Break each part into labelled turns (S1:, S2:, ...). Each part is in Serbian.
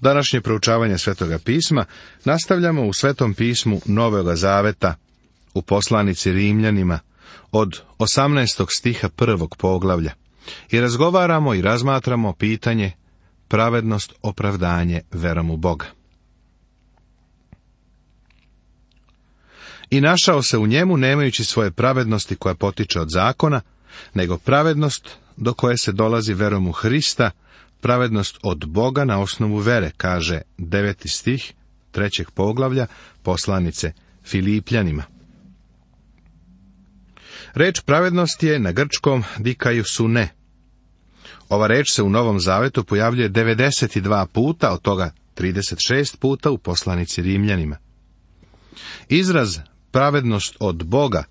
S1: Današnje proučavanje Svetoga pisma nastavljamo u Svetom pismu Novoga Zaveta, u poslanici Rimljanima, od 18. stiha 1. poglavlja, i razgovaramo i razmatramo pitanje pravednost opravdanje verom u Boga. I našao se u njemu nemajući svoje pravednosti koja potiče od zakona, nego pravednost do koje se dolazi verom u Hrista, pravednost od Boga na osnovu vere, kaže 9. stih 3. poglavlja poslanice Filipljanima. Reč pravednost je na grčkom dikaiosune. Ova reč se u Novom Zavetu pojavljuje 92 puta, od toga 36 puta u poslanici Rimljanima. Izraz pravednost od Boga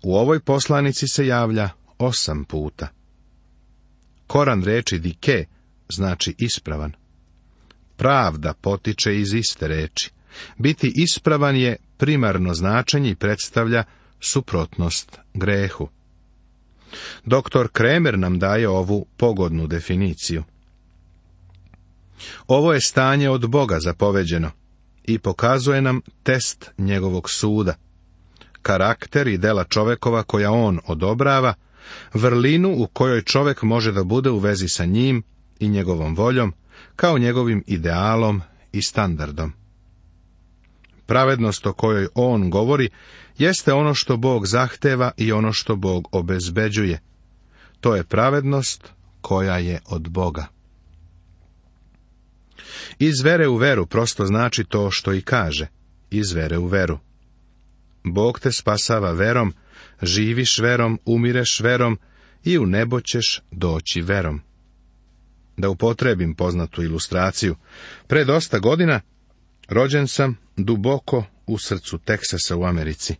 S1: u ovoj poslanici se javlja 8 puta. Koran reči dike znači ispravan. Pravda potiče iz iste reči. Biti ispravan je primarno značenje i predstavlja suprotnost grehu. Dr. Kremer nam daje ovu pogodnu definiciju. Ovo je stanje od Boga zapoveđeno i pokazuje nam test njegovog suda, karakter i dela čovekova koja on odobrava, vrlinu u kojoj čovek može da bude u vezi sa njim i njegovom voljom, kao njegovim idealom i standardom. Pravednost o kojoj on govori jeste ono što Bog zahteva i ono što Bog obezbeđuje. To je pravednost koja je od Boga. Iz vere u veru prosto znači to što i kaže, iz vere u veru. Bog te spasava verom, živiš verom, umireš verom i u nebo ćeš doći verom. Da upotrebim poznatu ilustraciju, pre dosta godina rođen sam duboko u srcu Teksasa u Americi.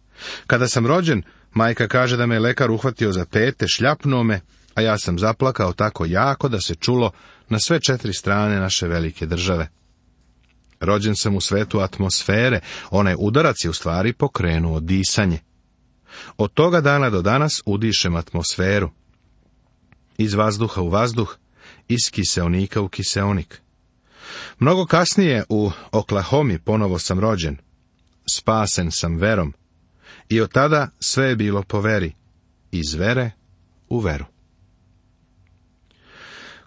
S1: Kada sam rođen, majka kaže da me je lekar uhvatio za pete, šljapnuo me, a ja sam zaplakao tako jako da se čulo na sve 4 strane naše velike države. Rođen sam u svetu atmosfere, onaj udarac je u stvari pokrenuo disanje. Od toga dana do danas udišem atmosferu. Iz vazduha u vazduh, iz kiseonika u kiseonik. Mnogo kasnije u Oklahomi ponovo sam rođen. Spasen sam verom. I od tada sve je bilo po veri. Iz vere u veru.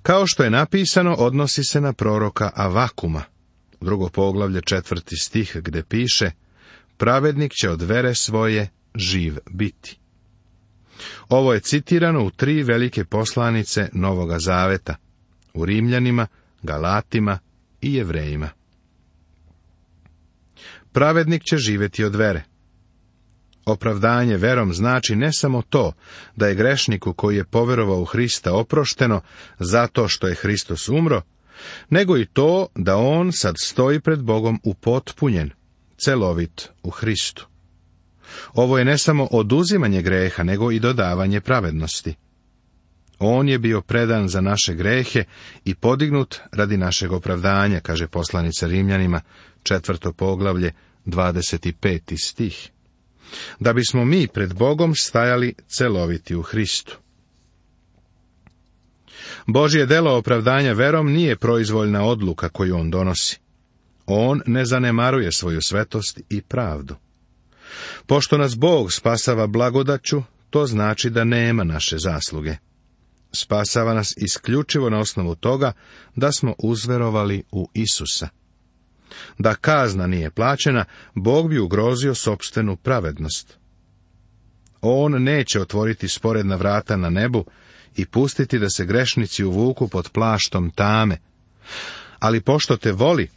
S1: Kao što je napisano, odnosi se na proroka Avakuma, 2. poglavlje 4. stih, gde piše: pravednik će od vere svoje živ biti. Ovo je citirano u 3 velike poslanice Novoga Zaveta, u Rimljanima, Galatima i Jevrejima. Pravednik će živjeti od vere. Opravdanje verom znači ne samo to da je grešniku koji je poverovao u Hrista oprošteno zato što je Hristos umro, nego i to da on sad stoji pred Bogom upotpunjen, celovit u Hristu. Ovo je ne samo oduzimanje greha, nego i dodavanje pravednosti. On je bio predan za naše grehe i podignut radi našeg opravdanja, kaže poslanica Rimljanima, 4. poglavlje, 25. stih. Da bismo mi pred Bogom stajali celoviti u Hristu. Božje delo opravdanja verom nije proizvoljna odluka koju on donosi. On ne zanemaruje svoju svetost i pravdu. Pošto nas Bog spasava blagodaću, to znači da nema naše zasluge. Spasava nas isključivo na osnovu toga da smo uzverovali u Isusa. Da kazna nije plaćena, Bog bi ugrozio sopstvenu pravednost. On neće otvoriti sporedna vrata na nebu i pustiti da se grešnici uvuku pod plaštom tame. Ali pošto te voli,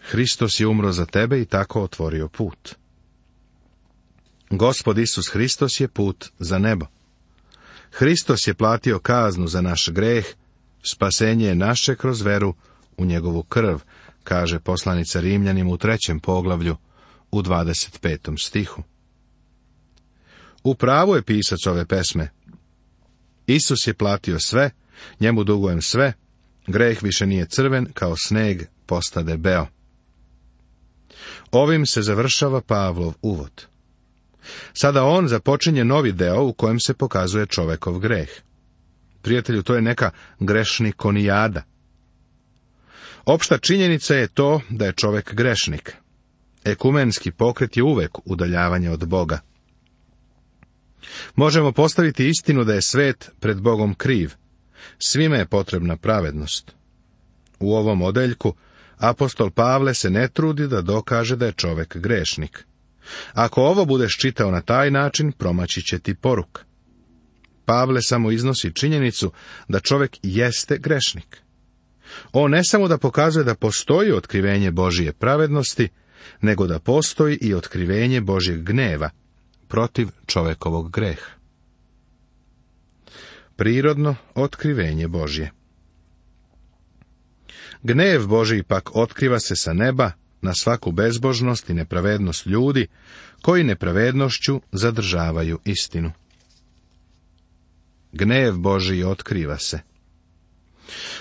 S1: Hristos je umro za tebe i tako otvorio put. Gospod Isus Hristos je put za nebo. Hristos je platio kaznu za naš greh, spasenje je naše kroz veru u njegovu krv, kaže poslanica Rimljanima u 3. poglavlju, u 25. stihu. U pravu je pisac ove pesme. Isus je platio sve, njemu dugujem sve, greh više nije crven, kao sneg postade beo. Ovim se završava Pavlov uvod. Sada on započinje novi deo u kojem se pokazuje čovekov greh. Prijatelju, to je neka grešnikonijada. Opšta činjenica je to da je čovjek grešnik. Ekumenski pokret je uvek udaljavanje od Boga. Možemo postaviti istinu da je svet pred Bogom kriv. Svima je potrebna pravednost. U ovom odeljku apostol Pavle se ne trudi da dokaže da je čovjek grešnik. Ako ovo budeš čitao na taj način, promaći će ti poruka. Pavle samo iznosi činjenicu da čovjek jeste grešnik. On ne samo da pokazuje da postoji otkrivenje Božije pravednosti, nego da postoji i otkrivenje Božjeg gneva protiv čovjekovog greha. Prirodno otkrivenje Božje. Gnev Božji pak otkriva se sa neba na svaku bezbožnost i nepravednost ljudi, koji nepravednošću zadržavaju istinu. Gnev Božji otkriva se.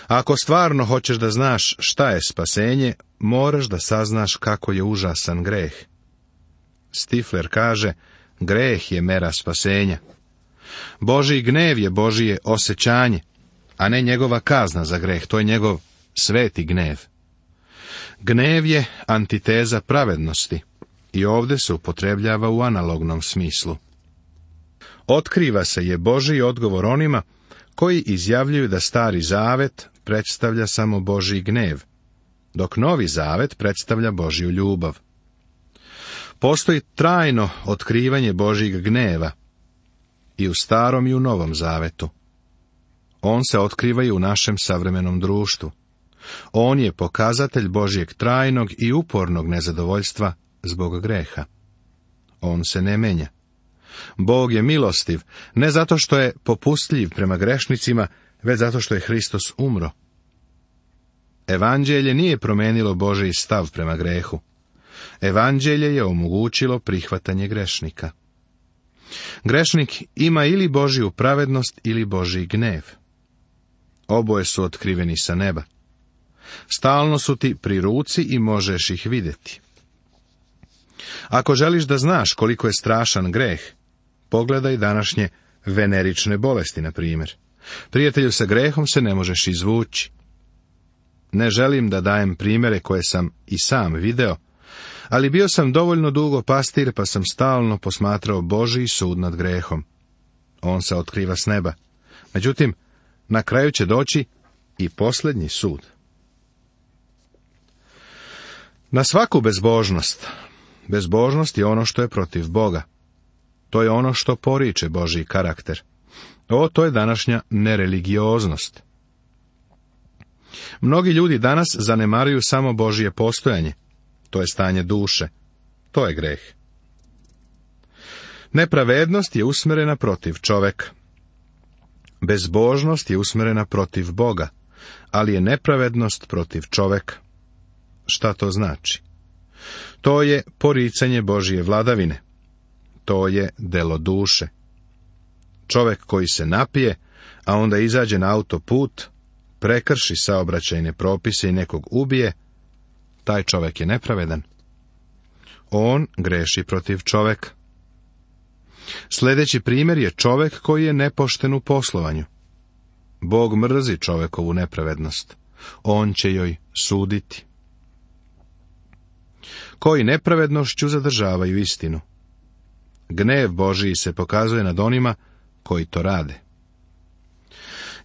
S1: Ako stvarno hoćeš da znaš šta je spasenje, moraš da saznaš kako je užasan greh. Stifler kaže, greh je mera spasenja. Božji gnev je Božije osjećanje, a ne njegova kazna za greh, to je njegov sveti gnev. Gnev je antiteza pravednosti i ovdje se upotrebljava u analognom smislu. Otkriva se je Božji odgovor onima koji izjavljuju da Stari Zavet predstavlja samo Božji gnev, dok Novi Zavet predstavlja Božju ljubav. Postoji trajno otkrivanje Božjeg gneva i u Starom i u Novom Zavetu. On se otkriva i u našem savremenom društvu. On je pokazatelj Božjeg trajnog i upornog nezadovoljstva zbog greha. On se ne menja. Bog je milostiv, ne zato što je popustljiv prema grešnicima, već zato što je Hristos umro. Evanđelje nije promenilo Božji stav prema grehu. Evanđelje je omogućilo prihvatanje grešnika. Grešnik ima ili Božju pravednost ili Božji gnjev. Oboje su otkriveni sa neba. Stalno su ti pri ruci i možeš ih vidjeti. Ako želiš da znaš koliko je strašan greh, pogledaj današnje venerične bolesti, na primjer. Prijatelju, sa grehom se ne možeš izvući. Ne želim da dajem primjere koje sam i sam video, ali bio sam dovoljno dugo pastir, pa sam stalno posmatrao Božji sud nad grehom. On se otkriva s neba. Međutim, na kraju će doći i posljednji sud. Na svaku bezbožnost. Bezbožnost je ono što je protiv Boga. To je ono što poriče Božji karakter. To je današnja nereligioznost. Mnogi ljudi danas zanemaruju samo Božje postojanje. To je stanje duše. To je greh. Nepravednost je usmjerena protiv čoveka. Bezbožnost je usmjerena protiv Boga, ali je nepravednost protiv čoveka. Šta to znači? To je poricanje Božje vladavine. To je delo duše. Čovjek koji se napije, a onda izađe na autoput, prekrši saobraćajne propise i nekog ubije, taj čovjek je nepravedan. On greši protiv čovjeka. Sljedeći primjer je čovjek koji je nepošten u poslovanju. Bog mrzi čovjekovu nepravednost. On će joj suditi. Koji nepravednošću zadržavaju istinu. Gnev Božiji se pokazuje nad onima koji to rade.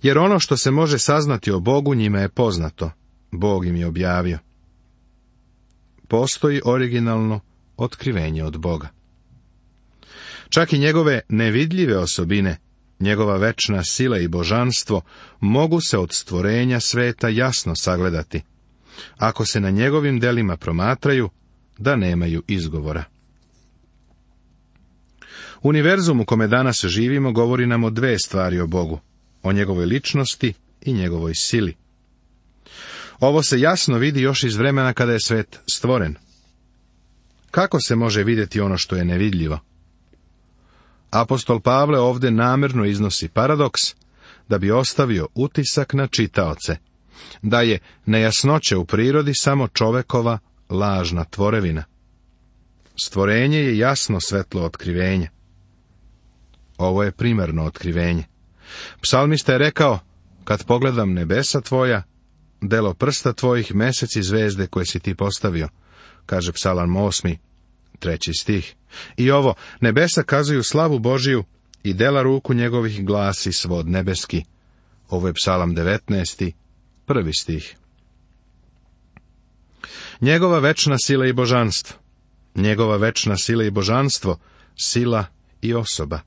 S1: Jer ono što se može saznati o Bogu njima je poznato. Bog im je objavio. Postoji originalno otkrivenje od Boga. Čak i njegove nevidljive osobine, njegova večna sila i božanstvo, mogu se od stvorenja sveta jasno sagledati, ako se na njegovim delima promatraju, da nemaju izgovora. Univerzum u kome danas živimo govori nam o dve stvari o Bogu, o njegovoj ličnosti i njegovoj sili. Ovo se jasno vidi još iz vremena kada je svet stvoren. Kako se može vidjeti ono što je nevidljivo? Apostol Pavle ovdje namjerno iznosi paradoks, da bi ostavio utisak na čitaoce, da je nejasnoća u prirodi samo čovekova lažna tvorevina. Stvorenje je jasno svetlo otkrivenje. Ovo je primarno otkrivenje. Psalmista je rekao, kad pogledam nebesa tvoja, delo prsta tvojih, mesec i zvezde koje si ti postavio, kaže Psalam 8, 3 stih. I ovo, nebesa kazuju slavu Božiju i dela ruku njegovih glasi svod nebeski. Ovo je Psalam 19, 1 stih. Njegova večna sila i božanstvo. Njegova večna sila i božanstvo, sila i osoba.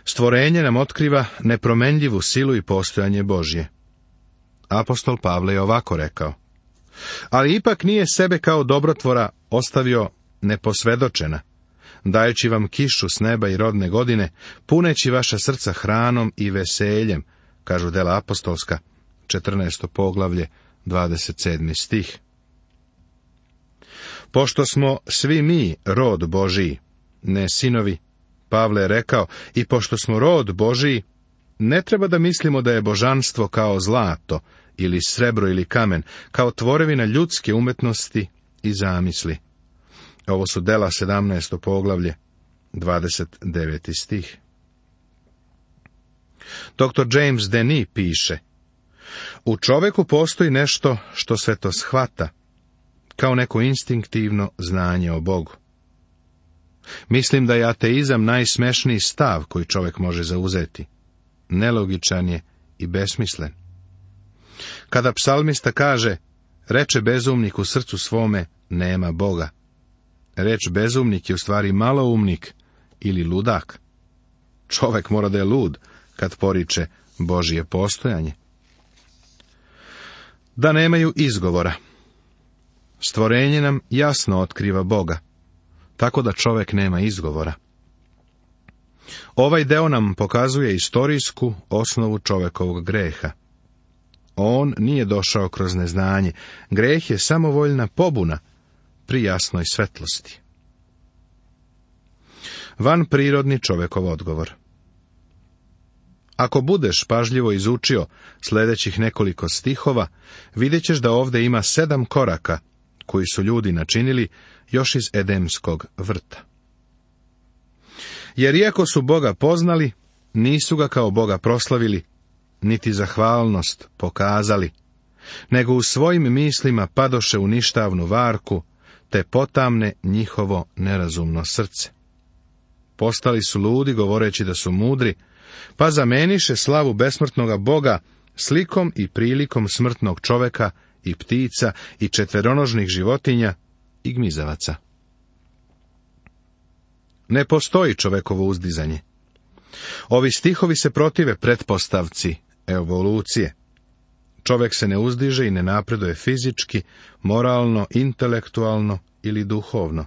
S1: Stvorenje nam otkriva nepromenljivu silu i postojanje Božje. Apostol Pavle je ovako rekao: ali ipak nije sebe kao dobrotvora ostavio neposvedočena, dajući vam kišu s neba i rodne godine, puneći vaša srca hranom i veseljem, kažu dela apostolska, 14. poglavlje, 27. stih. Pošto smo svi mi rod Božiji, ne sinovi, Pavle je rekao, i pošto smo rod Božiji, ne treba da mislimo da je božanstvo kao zlato, ili srebro ili kamen, kao tvorevina ljudske umetnosti i zamisli. Ovo su dela 17. poglavlje, 29. stih. Dr. James Denis piše: u čoveku postoji nešto što sve to shvata, kao neko instinktivno znanje o Bogu. Mislim da je ateizam najsmešniji stav koji čovjek može zauzeti. Nelogičan je i besmislen. Kada psalmista kaže: reče bezumnik u srcu svome, nema Boga. Reč bezumnik je u stvari maloumnik ili ludak. Čovjek mora da je lud kad poriče Božje postojanje. Da nemaju izgovora. Stvorenje nam jasno otkriva Boga, tako da čovjek nema izgovora. Ovaj deo nam pokazuje istorijsku osnovu čovjekovog greha. On nije došao kroz neznanje. Greh je samovoljna pobuna pri jasnoj svetlosti. Vanprirodni čovjekov odgovor. Ako budeš pažljivo izučio sljedećih nekoliko stihova, vidjet ćeš da ovdje ima 7 koraka koji su ljudi načinili još iz Edemskog vrta. Jer iako su Boga poznali, nisu ga kao Boga proslavili, niti zahvalnost pokazali, nego u svojim mislima padoše u ništavnu varku, te potamne njihovo nerazumno srce. Postali su ludi govoreći da su mudri, pa zameniše slavu besmrtnoga Boga slikom i prilikom smrtnog čoveka i ptica i četveronožnih životinja i gmizavaca. Ne postoji čovekovo uzdizanje. Ovi stihovi se protive pretpostavci evolucije. Čovjek se ne uzdiže i ne napreduje fizički, moralno, intelektualno ili duhovno.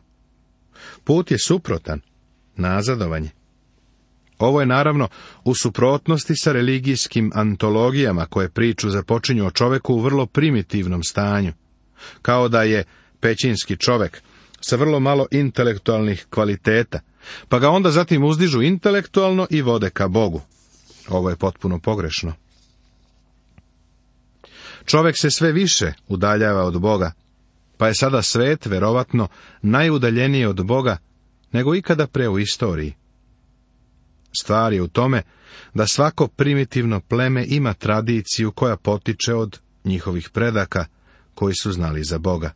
S1: Put je suprotan, nazadovanje. Ovo je naravno u suprotnosti sa religijskim antologijama koje priču započinju o čovjeku u vrlo primitivnom stanju, kao da je pećinski čovjek sa vrlo malo intelektualnih kvaliteta, pa ga onda zatim uzdižu intelektualno i vode ka Bogu. Ovo je potpuno pogrešno. Čovjek se sve više udaljava od Boga, pa je sada svet verovatno najudaljeniji od Boga nego ikada pre u istoriji. Stvar je u tome da svako primitivno pleme ima tradiciju koja potiče od njihovih predaka koji su znali za Boga.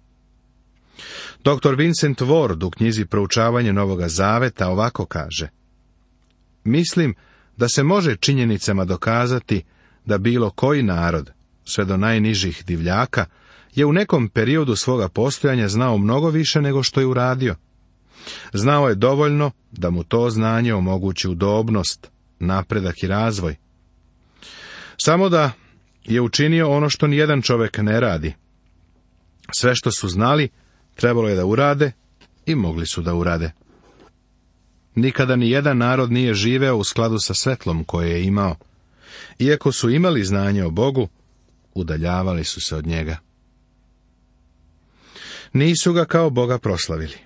S1: Dr. Vincent Ward u knjizi Proučavanje Novoga Zaveta ovako kaže: mislim da se može činjenicama dokazati da bilo koji narod, sve do najnižih divljaka, je u nekom periodu svoga postojanja znao mnogo više nego što je uradio. Znao je dovoljno da mu to znanje omogući udobnost, napredak i razvoj. Samo da je učinio ono što nijedan čovjek ne radi. Sve što su znali, trebalo je da urade i mogli su da urade. Nikada ni jedan narod nije živeo u skladu sa svetlom koje je imao. Iako su imali znanje o Bogu, udaljavali su se od njega. Nisu ga kao Boga proslavili.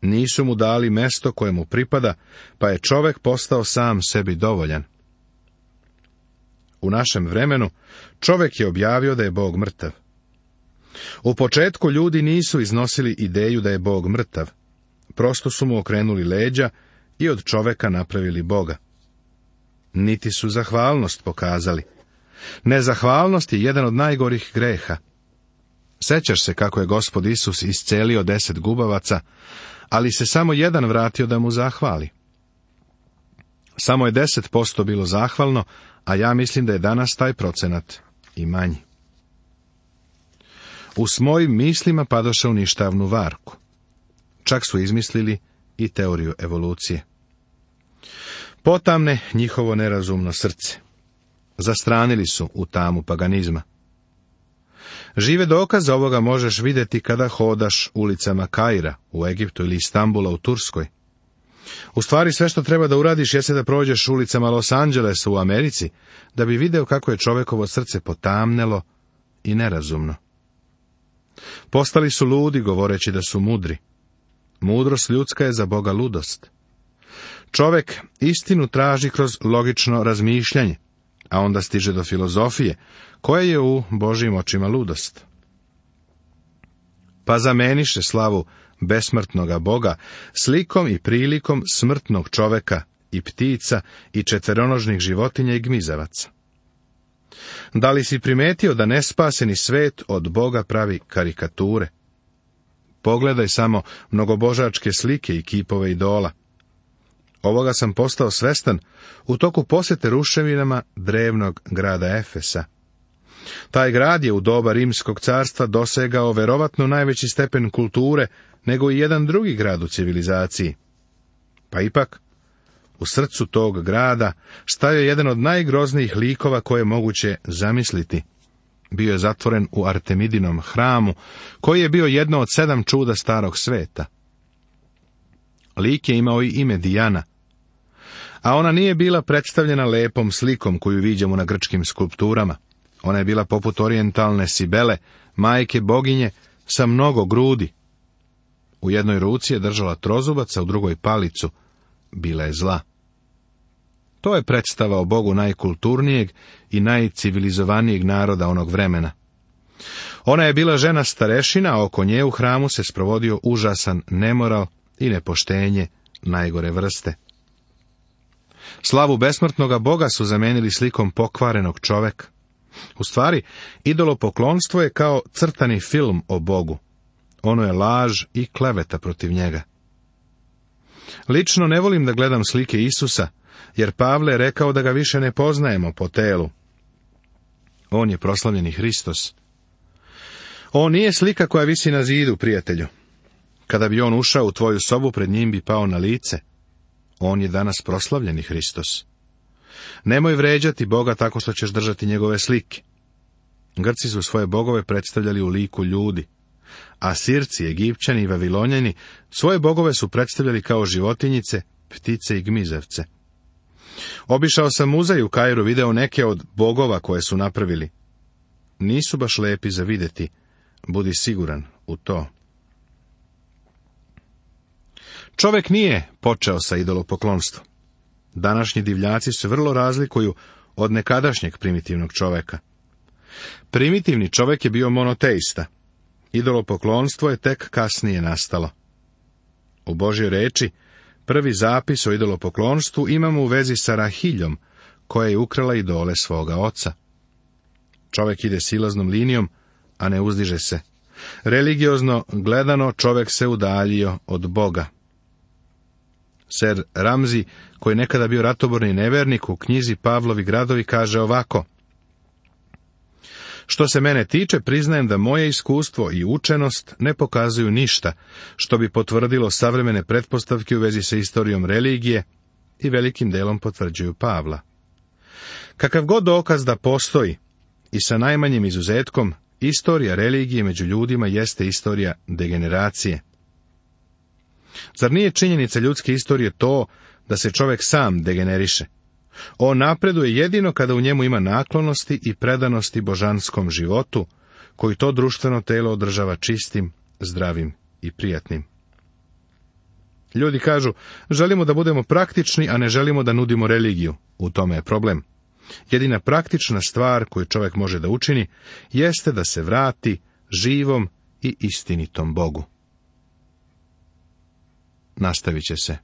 S1: Nisu mu dali mesto koje mu pripada, pa je čovjek postao sam sebi dovoljan. U našem vremenu čovjek je objavio da je Bog mrtav. U početku ljudi nisu iznosili ideju da je Bog mrtav. Prosto su mu okrenuli leđa i od čovjeka napravili Boga. Niti su zahvalnost pokazali. Nezahvalnost je jedan od najgorih greha. Sećaš se kako je Gospod Isus iscelio 10 gubavaca, ali se samo jedan vratio da mu zahvali. Samo je 10% bilo zahvalno, a ja mislim da je danas taj procenat i manji. U svojim mislima padoše u ništavnu varku. Čak su izmislili i teoriju evolucije. Potamne njihovo nerazumno srce. Zastranili su u tamu paganizma. Žive dokaze ovoga možeš vidjeti kada hodaš ulicama Kaira u Egiptu ili Istambula u Turskoj. U stvari sve što treba da uradiš jeste da prođeš ulicama Los Angelesa u Americi, da bi video kako je čovekovo srce potamnelo i nerazumno. Postali su ludi govoreći da su mudri. Mudrost ljudska je za Boga ludost. Čovek istinu traži kroz logično razmišljanje, a onda stiže do filozofije, koja je u Božjim očima ludost. Pa zameniše slavu besmrtnoga Boga slikom i prilikom smrtnog čoveka i ptica i četveronožnih životinja i gmizavaca. Da li si primetio da nespaseni svet od Boga pravi karikature? Pogledaj samo mnogobožačke slike i kipove idola. Ovoga sam postao svestan u toku posete ruševinama drevnog grada Efesa. Taj grad je u doba Rimskog carstva dosegao verovatno najveći stepen kulture nego i jedan drugi grad u civilizaciji. Pa ipak, u srcu tog grada stajao je jedan od najgroznijih likova koje je moguće zamisliti. Bio je zatvoren u Artemidinom hramu, koji je bio jedno od 7 čuda starog sveta. Lik je imao i ime Dijana, a ona nije bila predstavljena lepom slikom koju viđamo na grčkim skulpturama. Ona je bila poput orijentalne Sibele, majke boginje, sa mnogo grudi. U jednoj ruci je držala trozubac, a u drugoj palicu. Bila je zla. To je predstava o Bogu najkulturnijeg i najcivilizovanijeg naroda onog vremena. Ona je bila žena starešina, a oko nje u hramu se sprovodio užasan nemoral i nepoštenje najgore vrste. Slavu besmrtnoga Boga su zamenili slikom pokvarenog čoveka. U stvari, idolopoklonstvo je kao crtani film o Bogu. Ono je laž i kleveta protiv njega. Lično ne volim da gledam slike Isusa, jer Pavle je rekao da ga više ne poznajemo po telu. On je proslavljeni Hristos. On nije slika koja visi na zidu, prijatelju. Kada bi on ušao u tvoju sobu, pred njim bi pao na lice. On je danas proslavljeni Hristos. Nemoj vređati Boga tako što ćeš držati njegove slike. Grci su svoje bogove predstavljali u liku ljudi, a Sirci, Egipćani i Vavilonjani svoje bogove su predstavljali kao životinjice, ptice i gmizavce. Obišao sam muzej u Kairu, video neke od bogova koje su napravili. Nisu baš lepi za vidjeti, budi siguran u to. Čovek nije počeo sa idolopoklonstvom. Današnji divljaci se vrlo razlikuju od nekadašnjeg primitivnog čoveka. Primitivni čovek je bio monoteista. Idolopoklonstvo je tek kasnije nastalo. U Božjoj reči prvi zapis o idolopoklonstvu imamo u vezi sa Rahiljom, koja je ukrala idole svoga oca. Čovek ide silaznom linijom, a ne uzdiže se. Religiozno gledano čovek se udaljio od Boga. Ser Ramzi, koji je nekada bio ratoborni nevernik, u knjizi Pavlovi gradovi kaže ovako: što se mene tiče, priznajem da moje iskustvo i učenost ne pokazuju ništa što bi potvrdilo savremene pretpostavke u vezi sa istorijom religije i velikim delom potvrđuju Pavla. Kakav god dokaz da postoji, i sa najmanjim izuzetkom, istorija religije među ljudima jeste istorija degeneracije. Zar nije činjenica ljudske istorije to da se čovjek sam degeneriše? On napreduje jedino kada u njemu ima naklonosti i predanosti božanskom životu, koji to društveno telo održava čistim, zdravim i prijatnim. Ljudi kažu, želimo da budemo praktični, a ne želimo da nudimo religiju. U tome je problem. Jedina praktična stvar koju čovjek može da učini, jeste da se vrati živom i istinitom Bogu. Nastavit će se.